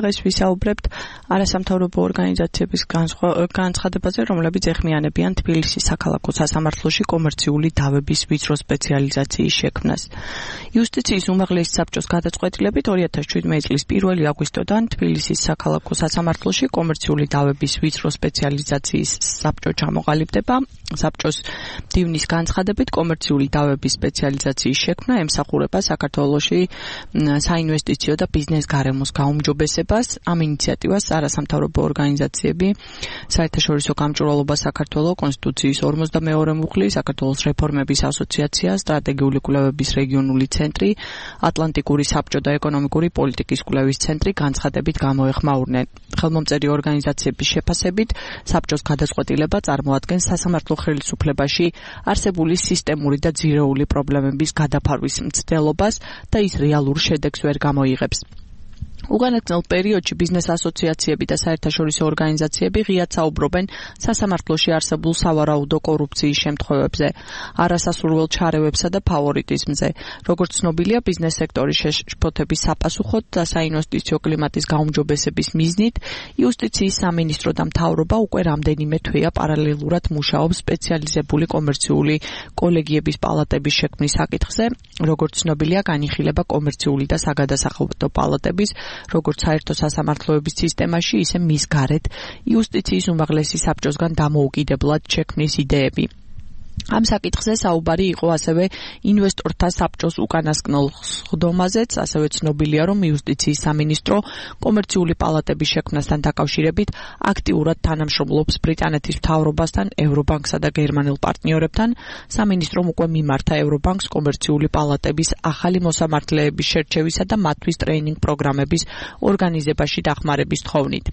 დღეს ვისაუბრებთ არასამთავრობო ორგანიზაციების განცხადებაზე, რომლებიც ეხმიანებიან თბილისის საქალაქო სასამართლოში კომერციული დავების ვიწრო სპეციალიზაციის შექმნას. იუსტიციის უმაღლესი საბჭოს გადაწყვეტილებით 2017 წლის 1 აგვისტოდან თბილისის საქალაქო სასამართლოში კომერციული დავების ვიწრო სპეციალიზაციის საბჭო ჩამოყალიბდება. საბჭოს მდივნის განცხადებით კომერციული დავების სპეციალიზაციის შექმნა ემსახურება საქართველოში საინვესტიციო და ბიზნეს გარემოს გაუმჯობესებას. ამ ინიციატივას არასამთავრობო ორგანიზაციები, საერთაშორისო გამჭვირვალობა საქართველოს კონსტიტუციის 42 მუხლი, საქართველოს რეფორმების ასოციაცია, სტრატეგიული კვლევების რეგიონული ცენტრი, ატლანტიკური საბჭო და ეკონომიკური პოლიტიკის კვლევის ცენტრი განცხადებით გამოეხმაურნენ. ხელმომწერი ორგანიზაციების შეფასებით, საბჭოს გადაწყვეტილება წარმოადგენს სასამართლო ხელისუფლებაში არსებული სისტემური და ძირეული პრობლემების გადაფარვის მცდელობას და ის რეალურ შედეგს ვერ გამოიღებს. უგანაწილ პერიოდში ბიზნეს ასოციაციები და საერთაშორისო ორგანიზაციები ღიად საუბრობენ სასამართლოში არსებულ სავარაუდო კორუფციის შემთხვევებზე, არასასურველ ჩარევებსა და ფავორიტიზმზე. როგორც ცნობილია, ბიზნეს სექტორის შეშფოთების საპასუხოდ და საინვესტიციო კლიმატის გაუმჯობესების მიზნით, იუსტიციის სამინისტრო და მთავრობა უკვე რამდენიმე თვეა პარალელურად მუშაობს სპეციალიზებული კომერციული კოლეგიების პალატების შექმნის საკითხზე. როგორც ცნობილია, განიხილება კომერციული და საგადასახადო პალატების როგორც საერთო სასამართლოების სისტემაში, ისე მის გარეთ იუსტიციის უმაღლესი საბჭოსგან დამოუკიდებლად შექმნის იდეები. ამ საკითხზე საუბარი იყო ასევე ინვესტორთა საბჭოს უკანასკნელ ხდომაზეც, ასევე ცნობილია, რომ იუსტიციის სამინისტრო კომერციული პალატების შექმნასთან დაკავშირებით აქტიურად თანამშრომლობს ბრიტანეთის მთავრობასთან, ევრობანკსა და გერმანელ პარტნიორებთან. სამინისტრომ უკვე მიმართა ევრობანკს კომერციული პალატების ახალი მოსამართლეების შერჩევისა და მათთვის ტრეინინგ პროგრამების ორგანიზებაში დახმარების თხოვნით.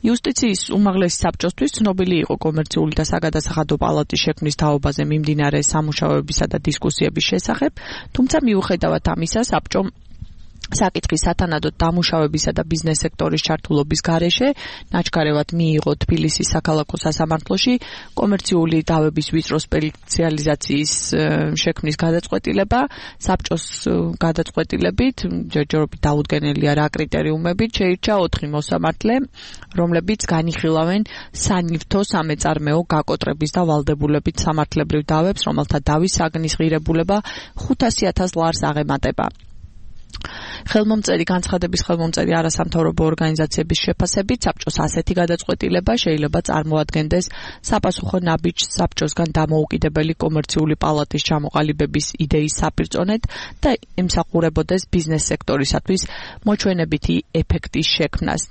იუსტიციის უმაღლესი საბჭოსთვის ცნობილი იყო კომერციული და საგადასახადო პალატის შექმნის თაობაზე მიმდინარე სამუშაოებისა და დისკუსიების შესახებ, თუმცა მიუხედავად ამისა, საბჭომ საკითხის სათანადოდ დამუშავებისა და ბიზნეს სექტორის ჩართულობის გარეშე ნაჩქარევად მიიღო თბილისის საქალაქო სასამართლოში კომერციული დავების ვიწრო სპეციალიზაციის შექმნის გადაწყვეტილება. საბჭოს გადაწყვეტილებით ჯერჯერობით დაუდგენელია რა კრიტერიუმებით შეირჩა 4 მოსამართლე, რომლებიც განიხილავენ სანივთო სამეწარმეო გაკოტრების და ვალდებულებით სამართლებრივ დავებს, რომელთა დავის საგნის ღირებულება 500,000 ლარს აღემატება. განცხადების ხელმომწერი არასამთავრობო ორგანიზაციების შეფასებით, საბჭოს ასეთი გადაწყვეტილება შეიძლება წარმოადგენდეს საპასუხო ნაბიჯს საბჭოსგან დამოუკიდებელი კომერციული პალატის ჩამოყალიბების იდეის საპირწონედ და ემსახურებოდეს ბიზნეს სექტორისათვის მოჩვენებითი ეფექტის შექმნას.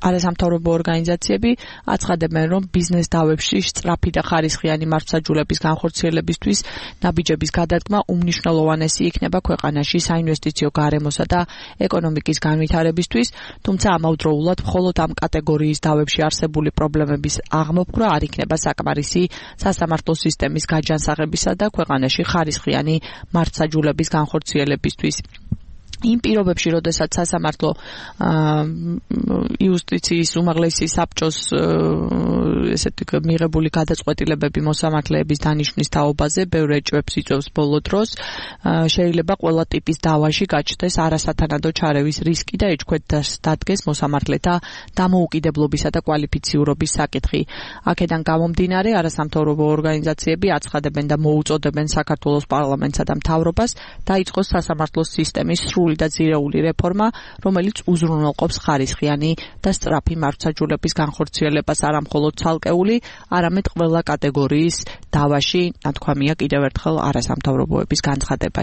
არასამთავრობო ორგანიზაციები აცხადებენ, რომ ბიზნეს დავებში სწრაფი და ხარისხიანი მართლმსაჯულების განხორციელებისთვის ნაბიჯების გადადგმა უმნიშვნელოვანესი იქნება ქვეყანაში საინვესტიციო გარემოსა და ეკონომიკის განვითარებისთვის, თუმცა ამავდროულად მხოლოდ ამ კატეგორიის დავებში არსებული პრობლემების აღმოფხვრა არ იქნება საკმარისი სასამართლო სისტემის გაჯანსაღებისა და ქვეყანაში ხარისხიანი მართლმსაჯულების განხორციელებისთვის. იმ პირობებში, როდესაც სასამართლო იუსტიციის უმაღლესი საბჭოს მიღებული გადაწყვეტილებები მოსამართლეების დანიშვნის თაობაზე ბევრ ეჭვებს იწვევს ბოლო დროს, შეიძლება ყველა ტიპის დავაში გაჩნდეს არასათანადო ჩარევის რისკი და ეჭქვეთას დადგეს მოსამართლეთა დამოუკიდებლობისა და კვალიფიციურობის საკითხი. აქედან გამომდინარე, არასამთავრობო ორგანიზაციები აცხადებენ და მოუწოდებენ საქართველოს პარლამენტსა და მთავრობას დაიწყოს სასამართლოს სისტემის და ძირეული რეფორმა, რომელიც უზრუნველყოფს ხარისხიანი და სწრაფი მართლმსაჯულების განხორციელებას არა მხოლოდ ცალკეული, არამედ ყველა კატეგორიის დავაში, ნათქვამია კიდევ ერთხელ არასამთავრობოების განცხადებაში.